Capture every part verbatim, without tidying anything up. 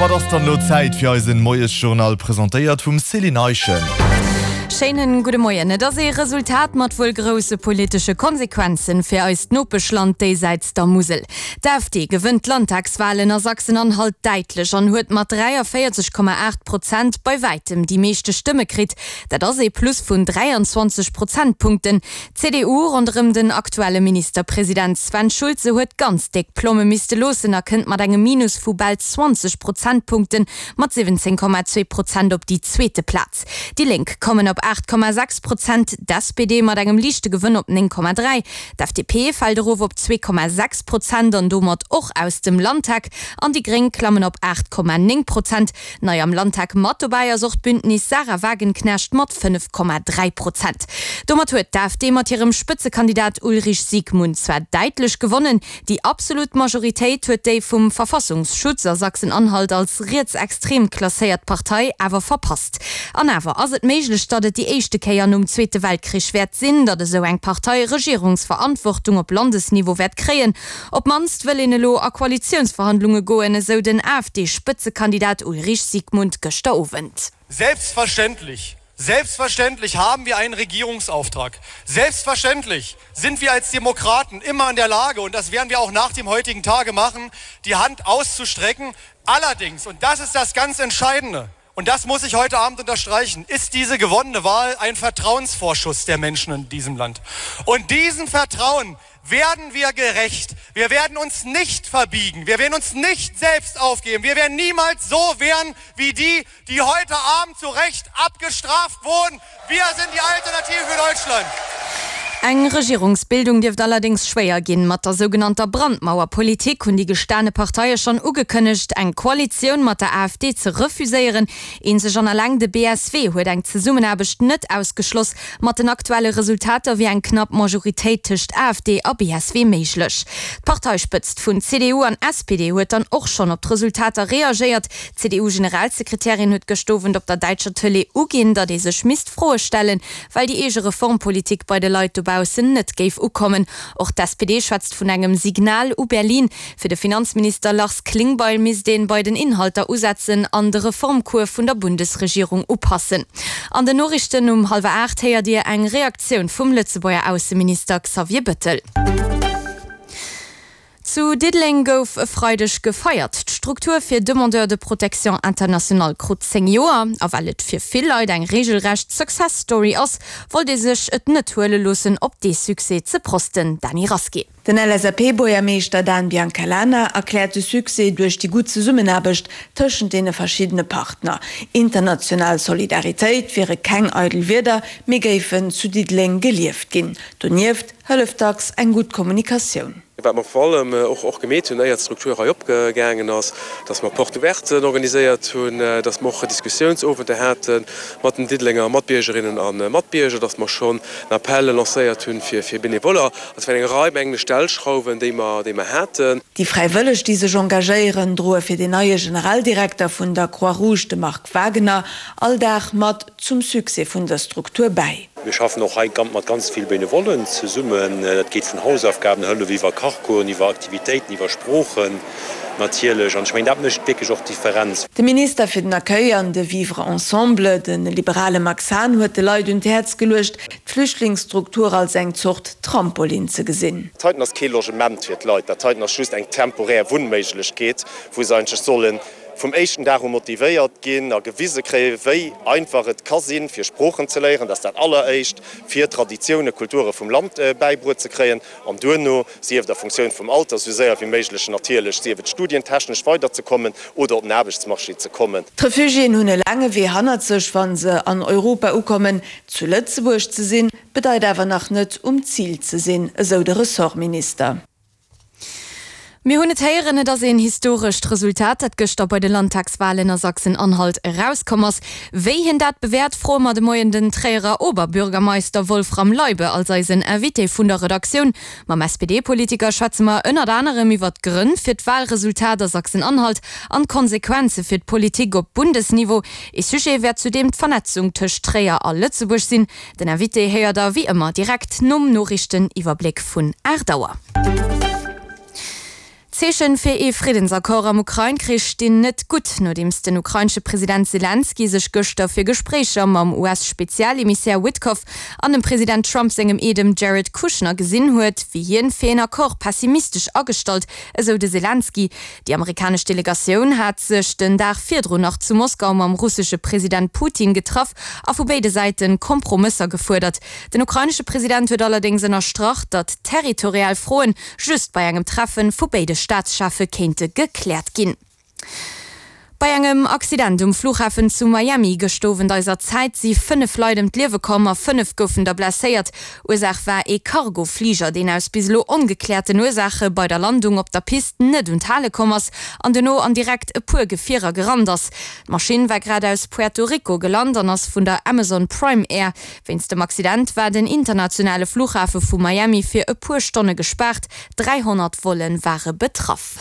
Domat ass dann elo Zäit fir eisen Moiesjournal, presentéiert vum Céline Eischen. Schéinen gudde Moien. Et ass ee Resultat mat wuel grousse politesche Konsequenzen fir eist Nopeschland déisäits der Musel. D'AfD gewënnt d'Landtagswalen a Sachsen-Anhalt däitlech an huet mat dräiavéierzeg Komma aacht Prozent bei wäitem déi meeschte Stëmme kritt. Dat ass ee Plus vun dräianzwanzeg Prozentpunkten. D'C D U ronderëm den aktuelle Ministerpresident Sven Schulze huet ganz déck Plomme misste loossen a kënnt mat engem Minus vu bal zwanzeg Prozentpunkte mat siwwenzéng Komma zwee Prozent op déi zweete Plaz. Déi Lénk kommen op aacht Komma sechs Prozent, d'S P D mat engem liichte Gewënn op néng Komma dräi. D'F D P fält erof op zwee Komma sechs Prozent an domat och aus dem Landtag an déi Gréng klammen op aacht Komma néng Prozent. Nei am Landtag mat dobäi ass och d'Bündnis Sahra Wagenknecht mat fënnef Komma dräi Prozent. Domat huet d'AfD mat hirem Spëtzekandidat Ulrich Siegmund zwar däitlech gewonnen, déi absolut Majoritéit huet déi vum Verfassungsschutz a Sachsen-Anhalt als rietsextrem klasséiert Partei awer verpasst. An awer ass et méiglech, datt et déi éischte Kéier nom Zweete Weltkrich wäert sinn, datt esou eng Partei Regierungsverantwortung op Landesniveau wäert kréien. Op d'mannst wëll een elo a Koalitiounsverhandlunge goen, esou den AfD-Spëtzekandidat Ulrich Siegmund gëschter Owend. Selbstverständlich, selbstverständlich haben wir einen Regierungsauftrag. Selbstverständlich sind wir als Demokraten immer in der Lage, und das werden wir auch nach dem heutigen Tage machen, die Hand auszustrecken. Allerdings, und das ist das ganz Entscheidende, und das muss ich heute Abend unterstreichen, ist diese gewonnene Wahl ein Vertrauensvorschuss der Menschen in diesem Land. Und diesem Vertrauen werden wir gerecht. Wir werden uns nicht verbiegen. Wir werden uns nicht selbst aufgeben. Wir werden niemals so werden wie die, die heute Abend zu Recht abgestraft wurden. Wir sind die Alternative für Deutschland. Eng Regierungsbildung dierft allerdéngs schwéier ginn. Mat der sougenannter Brandmauerpolitik hunn déi gestane Parteie schonn ugekënnegt, eng Koalitioun mat der A F D ze refuséieren. Eenzeg an eleng de B S W huet eng Zesummenaarbecht net ausgeschloss. Mat den aktuelle Resultater wier eng knapp Majoritéit tëscht A F D a B S W méiglech. D'Parteispëtzt vun C D U an S P D huet dann och schonn op d'Resultater reagéiert. D'C D U-Generalsekretärin huet gëscht Owend op der däitscher Tëlee uginn, datt ee sech misst Froe stellen, well déi eege Reformpolitik bei de Leit dobaussen net géif ukommen. Och d'S P D schwätzt vun engem Signal u Berlin. Fir de Finanzminister Lars Klingbeil misst ee bei den Inhalter usetzen an de Reformcours vun der Bundesregierung upassen. An den Noriichten um hallwer aacht héiert Dir eng Reaktioun vum Lëtzebuerger Ausseminister Xavier Bettel. Zu Diddeleng gouf e Freideg gefeiert. D'Struktur fir Demandeurs de protection internationale krut zéng Joer. A well et fir vill Leit eng reegelrecht Success Story ass, wollt ee sech et net huele loossen, op dee Succès ze prosten. Dany Rasqué. Den L S A P-Buergermeeschter Dan Biancalana erkläert de Succès duerch déi gutt Zesummenaarbecht tëschent deene verschiddene Partner. International Solidaritéit wiere keng eidel Wierder, mee géifen zu Diddeleng gelieft ginn. Donieft hëlleft dacks eng gutt Kommunikatioun. Wat mer vor allem och och gemeet hunn, éier d'Struktur hei opgaangen ass, dass mer Porte ouverten organiséiert hunn, dass mer och Diskussiounsowenter hate mat den Diddelenger Matbiergerinnen a Matbierger, dass mer schonn en Appel lancéiert hunn fir fir Benevoller. Dat waren eng Rei mengen ech Stellschrauwen, déi mer déi mer haten. Déi Fräiwëlleg, déi sech engagéieren, droe fir den neie Generaldirekter vun der Croix-Rouge, de Marc Wagener, all Dag mat zum Succès vun der Struktur bäi. Mir schaffen och hei mat ganz vill Benevollen zesummen. Dat geet vun Hausaufgabenhëllef iwwer Kachcoursen, iwwer Aktivitéiten, iwwer Sproochen natierlech. An ech mengen, dat mécht wierklech och d'Differenz. De Minister fir den Accueil an de Vivre ensemble, de liberale Max Hahn, huet de Leit un d'Häerz geluecht, d'Flüchtlingsstruktur als eng Zort Trampolin ze gesinn. Dat heiten ass kee Logement fir d'Leit, dat heiten ass just eng temporär Wunnméiglechkeet, wou se eigentlech solle vum éischten Dag u motivéiert ginn a gewise kréien, wéi einfach et ka sinn, fir Sproochen ze léieren, dat ass dat Alleréischt, fir Traditioune, Kulture vum Land bäibruet ze kréien an duerno, sief et a Funktioun vum Alter, esou séier wéi méiglech natierlech, sief et studientechnesch weiderzekommen oder op den Aarbechtsmarché ze kommen. D'Refugiéen hunn e laange Wee hannert sech, wa se an Europa ukommen. Zu Lëtzebuerg ze sinn, bedeit awer nach net um Zil ze sinn, esou de Ressortminister. Mir hunn et héieren, et ass een historescht Resultat, dat gëschter bei de Landtagswalen a Sachsen-Anhalt erauskomm ass. Wéi hien dat bewäert, froe mer de Moien den Tréierer Oberbürgermeister Wolfram Leibe als eisen Invité vun der Redaktioun. Mam S P D-Politiker schwätze mer ënnert anerem iwwer d'Grënn fir d'Walresultat a Sachsen-Anhalt an d'Konsequenze fir d'Politik op Bundesniveau. Ee Sujet wäert zudeem d'Vernetzung tëscht Tréier a Lëtzebuerg sinn. Den Invité héiert der wéi ëmmer direkt nom Noriichteniwwerbléck vun aacht Auer. D'Zeechen fir ee Friddensaccord am Ukrain-Krich stinn net gutt, nodeems den ukrainesche President Selenskyj sech gëschter fir Gespréicher mam US-Spezialemissär Witkoff an dem President Trump sengem Eedem Jared Kushner gesinn huet, wier hien fir een Accord pessimistesch agestallt, esou de Selenskyj. Déi amerikanesch Delegatioun hat sech den Dag virdrun nach zu Moskau mam russesche President Putin getraff a vu béide Säite Kompromësser gefuerdert. Den ukrainesche President huet allerdéngs ënnerstrach, datt territorial Froen just bei engem Treffe vu béide Staatscheffe kéinte gekläert ginn. Bei engem Accident um Flughafen zu Miami gëscht Owend eiser Zäit si fënnef Leit ëm d'Liewe komm a fënnef goufen der blesséiert. Ursaach war ee Cargo-Fliger, deen aus bis elo ongekläerten Ursaache bei der Landung op der Pist net un d'Hale komm ass an duerno an direkt e puer Gefierer gerannt ass. D'Maschinn war grad aus Puerto Rico gelant an ass vun der Amazon Prime Air. Wéinst dem Accident war den internationale Flughafe vu Miami fir e puer Stonne gespaart, dräihonnert Volle ware betraff.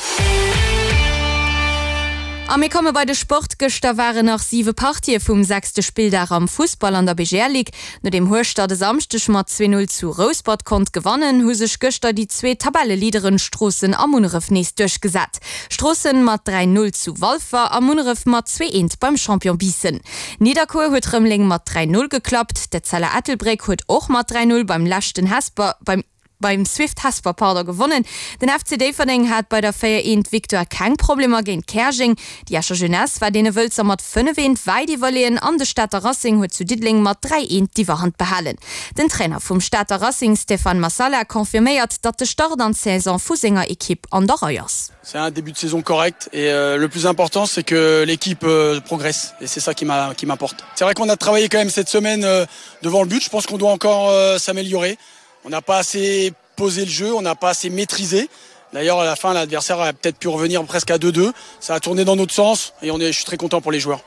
A mir komme bei de Sport. Gëschter waren nach siwe Partië vum sechste Spilldag am Fussball an der B G L Ligue. Nodeem Hueschtert e Samschdeg mat zwee Null zu Rouspert konnt gewannen, hu sech gëschter déi zwee Tabelleleaderen Stroossen a Munneref nees duerchgesat. Stroossen mat dräi Null zu Walfer a Munneref mat zwee Eent beim Champion Biissen. Nidderkuer huet Rëmeleng mat dräi Null geklappt. D'Etzella Ettelbréck huet och mat dräi Null beim leschten Hesper beim beim Swift Hesper pardon gewonnen. Den F C Déifferdeng hat bei der véier eent Victoire keng Problemer géint Käerjeng. Déi Escher Jeunesse war deene Wëlzer mat fënnef eent wäit iwwerleeën an de Stater Racing huet zu Diddeleng mat dräi eent d'Iwwerhand behalen. Den Trainer vum Stater Racing Stéphane Massala confirméiert, datt de Start an d'Saison vu senger Ekipp an der Rei ass. C'est un début de saison correct et euh, le plus important c'est que l'équipe euh, progresse et c'est ça qui m'importe. C'est vrai qu'on a travaillé quand même cette semaine euh, devant le but, je pense qu'on doit encore euh, s'améliorer. On n'a pas assez posé le jeu, on n'a pas assez maîtrisé. D'ailleurs à la fin l'adversaire a peut-être pu revenir presque à deux deux. Ça a tourné dans notre sens et on est, je suis très content pour les joueurs.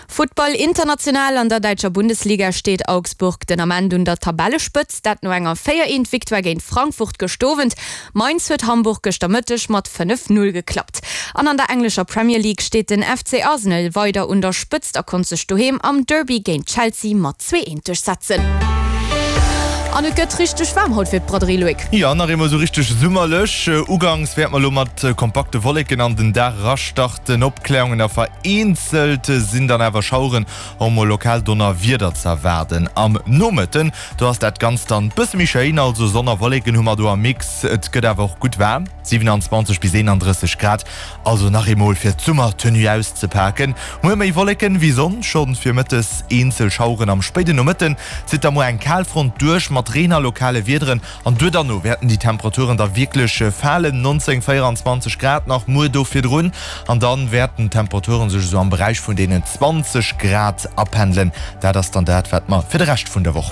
Futtball international. An der däitscher Bundesliga steet Augsburg den Ament un der Tabellespëtzt, dat no enger véier eent Victoire géint Frankfurt gëscht Owend. Mainz huet Hamburg gëschter Mëtteg mat fënnef Null geklappt. An an der englescher Premier League steet den F C Arsenal weider un der Spëtzt a konnt sech doheem am Derby géint Chelsea mat zwee eent duerchsetzen. An et gëtt richteg waarm haut fir d'Braderie, Loïc. Jo, nach ëmmer sou richteg summerlech. Ugangs wäerte mer lo mat kompakte Wolleken an den Dag erastarten. Opkläerungen a vereenzelt sinn dann awer Schaueren, och mol lokal Donnerwieder ze erwaarden. Am Nomëtten, do ass dat Ganzt dann bësse méi schéin, also Sonn a Wolleken hu mer do am Mix. Et gëtt awer och gutt waarm, siwenanzwanzeg bis eenandrësseg Grad, also nach eemol fir d'Summertenue auszepaken. Muer méi Wolleken wéi Sonn, schonn virmëttes eenzel Schaueren. Am spéiden Nomëtten zitt da muer eng Kalfront duerch mat Reen a lokale Wiederen an duer derno wäerten déi Temperaturen da wierklech falen, neunzéng, véieranzwanzeg Grad nach muer do virdrun an dann wäerten d'Temperaturen sech esou am Beräich vun deenen zwanzeg Grad apendelen. Dat ass dann dat wat mer fir de Rescht vun der Woch